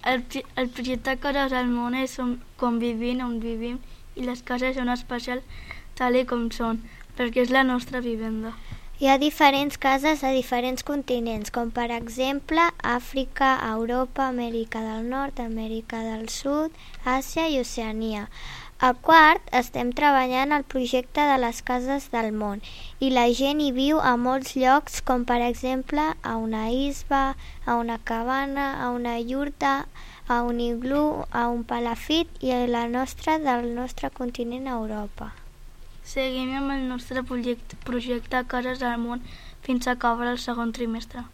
El projecte Cases al Món és on vivim, i les cases són especials tal com són, perquè és la nostra vivenda. Hi ha diferents cases a diferents continents, com per exemple Àfrica, Europa, Amèrica del Nord, Amèrica del Sud, Àsia i Oceania. A Quart estem treballant el projecte de les cases del món i la gent hi viu a molts llocs, com per exemple a una isba, a una cabana, a una yurta, a un iglú, a un palafit i a la nostra del nostre continent a Europa. Seguim amb el nostre projecte Cases al Món fins a acabar el segon trimestre.